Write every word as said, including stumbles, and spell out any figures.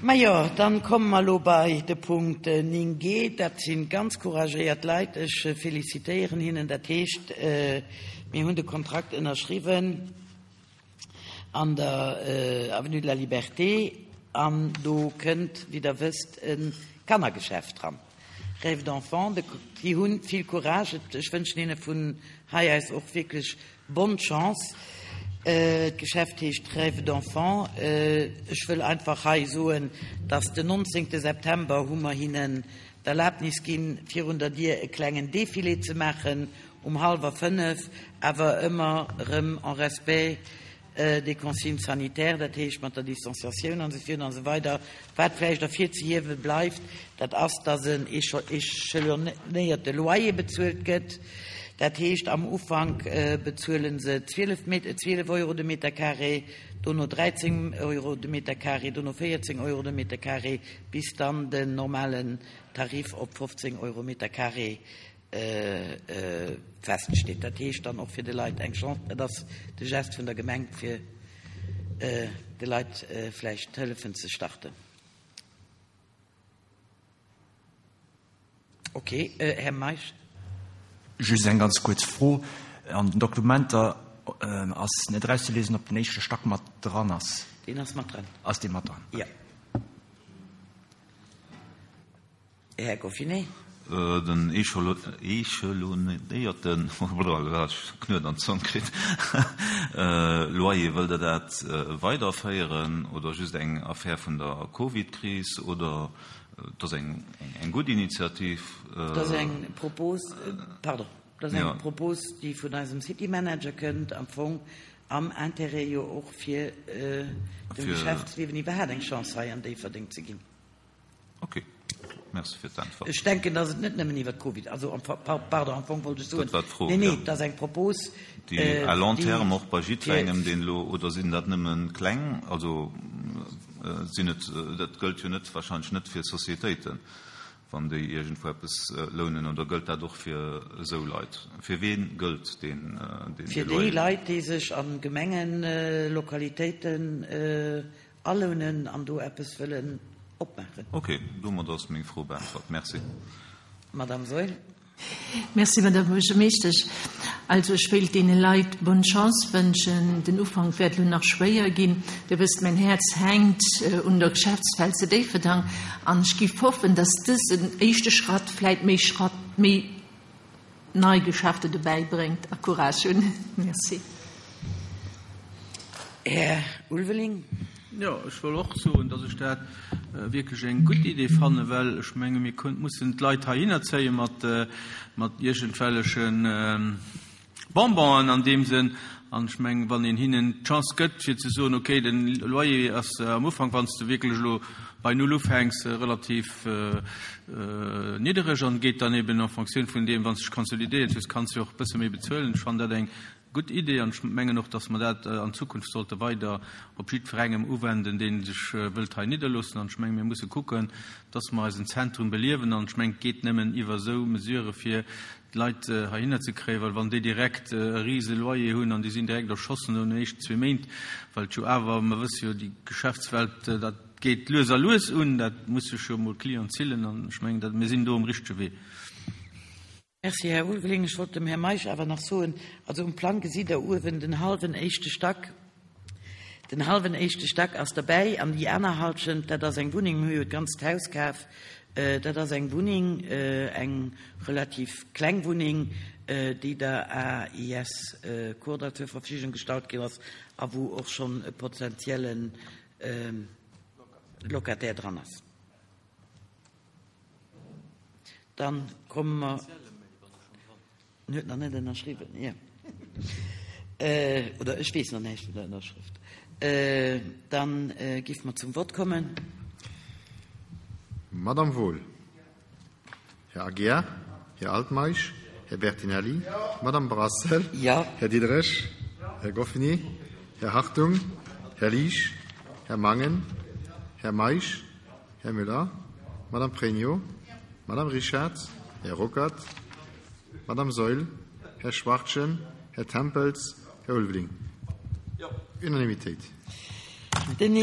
Majo, dann komme mer elo bei de Punkt néng G. Dat si ganz couragéiert Leit. Ech felicitéieren hinnen. Dat heescht, mir hunn de Kontrakt ënnerschriwwen an der Avenue de la Liberté an do kënnt, wéi Der wësst, e Kannergeschäft dran, Rêve d'enfant. Déi hu vill Courage. Ech wënschen hinne vun hei aus och wierklech bonne chance. D'Geschäft heescht Rêve d'enfant. Ech wëll einfach hei soen, dass den nonzéngte September hu mer hinnen d'Erlaabnis ginn, virun der Dier e klengen Défilé ze maachen um hallwer fënnef, awer ëmmer erëm en respect des consignes sanitaires, dat heescht mat der Distanciatioun an esou virun an esou weider. Wat vläicht ervirzehiewe bleift, dat ass, dass en échelonnéierte Loyer bezuelt gëtt. Dat heescht, am Ufank bezuele se zwielef Euro de Meter carré, dono dräizéng Euro de Meter carré, dono véierzéng Euro de Meter carré, bis dann den normalen Tarif op fofzéng Euro Meter carré feststeet. Dat heescht dann och fir de Leit eng Chance, dat ass de Geste vun der Gemeng, fir de Leit vläicht hëllefen ze starten. Ok, Här Meisch. Just eng ganz kuerz Fro. An den Dokumenter ass net erauszeliesen, ob den éischte Stack mat dran ass. Deen ass mat dran. Ass dee mat dran? Jo. Här Goffinet. Den échelonnéierten, ech Knuet an d'Zong kritt, Loyer, wëllt Der dat weiderféieren oder just eng Affär vun der Covid-Kris oder et ass eng gutt Initiativ? Et ass eng Propos, pardon, et ass eng Propos, déi vun eisem City Manager kënnt, am Fong am Intérêt jo och fir dem Geschäftsliewen iwwerhaapt eng Chance hei an Déifferdeng ze ginn. Ok, merci fir d'Äntwert. Ech denken, dass et net nëmmen iwwer d'Covid, also am, pardon, am Fong wollt ech soen, Dat war d'Fro, nee, nee, jo. et ass eng Propos, Déi à long déi terme och bei fir jiddwerengem, deen elo, oder sinn dat nëmme kleng, also sinn et, dat gëllt jo net, wahrscheinlech net fir Sociétéiten, wann déi iergendwou eppes lounen, oder gëllt dat och fir esou Leit? Fir ween gëllt deen, deen Fir déi Loyer? Leit, déi sech a Gemengelokalitéiten alounen an do eppes wëllen opmaachen. Ok, domat ass meng Fro beäntwert. Merci. Madame Saeul. Merci, Madame Buergermeeschtesch. Also ech wéilt deene Leit bonne Chance wënschen. Den Ufank wäert elo nach schwéier ginn. Dir wësst, mäin Häerz hänkt un der Geschäftswelt zu Déifferdang an ech giff hoffen, dass dësen éischte Schratt vläit méi Schratt, méi nei Geschäfte dobäi bréngt a Courage hunn. Merci. Här Ulveling. Jo, ech wëll och soen, dass ech dat wierklech eng gutt Idee fannen, well ech menge mir mussen d'Leit heihinner zéie mat, mat iergendwelleche Bonbonen an deem Sënn. An ech mengen, wann een hinnen d'Chance gëtt, fir ze soen, okay, den Loyer ass am Ufank, wann s de wierklech elo bei Null ufänks, relativ niddereg an geet dann eben en Fonctioun vun deem, wann s de dech konsolidéiert hues, kanns de och e bësse méi bezuelen. Ech fannen dat eng gutt Idee an ech mengen och, dass mer dat an Zukunft sollte weider op jiddwerengem uwenden, dee sech wëllt hei nidderloossen. An ech mengen, mir musse kucken, dass mer eisen Zentrum beliewen. An ech mengen, et geet nëmmen iwwer esou Mesurë fir d'Leit heihinner ze kréien, well wann déi direkt e rise Loyer hunn an déi sinn direkt erschossen no den éischten zwee Méint, well et jo awer, mer wësse jo, déi Geschäftswelt, dat geet lues a lues un, dat muss sech jo emol Client zillen. An ech mengen, dat mir sinn do um richtege Wee. Merci, Här Ulveling. Ech wollt dem Här Meisch awer nach soen, also um Plang gesitt Der uewen den hallwen éischte Stack. Den hallwen éischte Stack ass derbäi an déi aner Halschent, dat ass eng Wunneng, mir hu jo d'ganzt Haus kaf, dat ass eng Wunneng, eng relativ kleng Wunneng, déi der A I S Kordall zur Verfügung gestallt ginn ass a wou och schonn e potenzielle Locataire dran ass. Dann komme mer. En huet nach net ënnerschriwwen, jo. Oder ech weess nach näischt vun der Ënnerschrëft. Dann géife mer zum Vott kommen. Madame Wohl. Här Aguiar. Här Altmeisch. Här Bertinelli. Madame Brassel. Ja. Här Diderich. Här Goffini. Här Hartung. Här Liesch. Här Mangen. Här Meisch. Här Müller. Madame Pregno. Madame Richard. Här Ruckert. Madame Saeul. Här Schwachtgen. Här Tempels. Här Ulveling. Jo. Unanimitéit. Den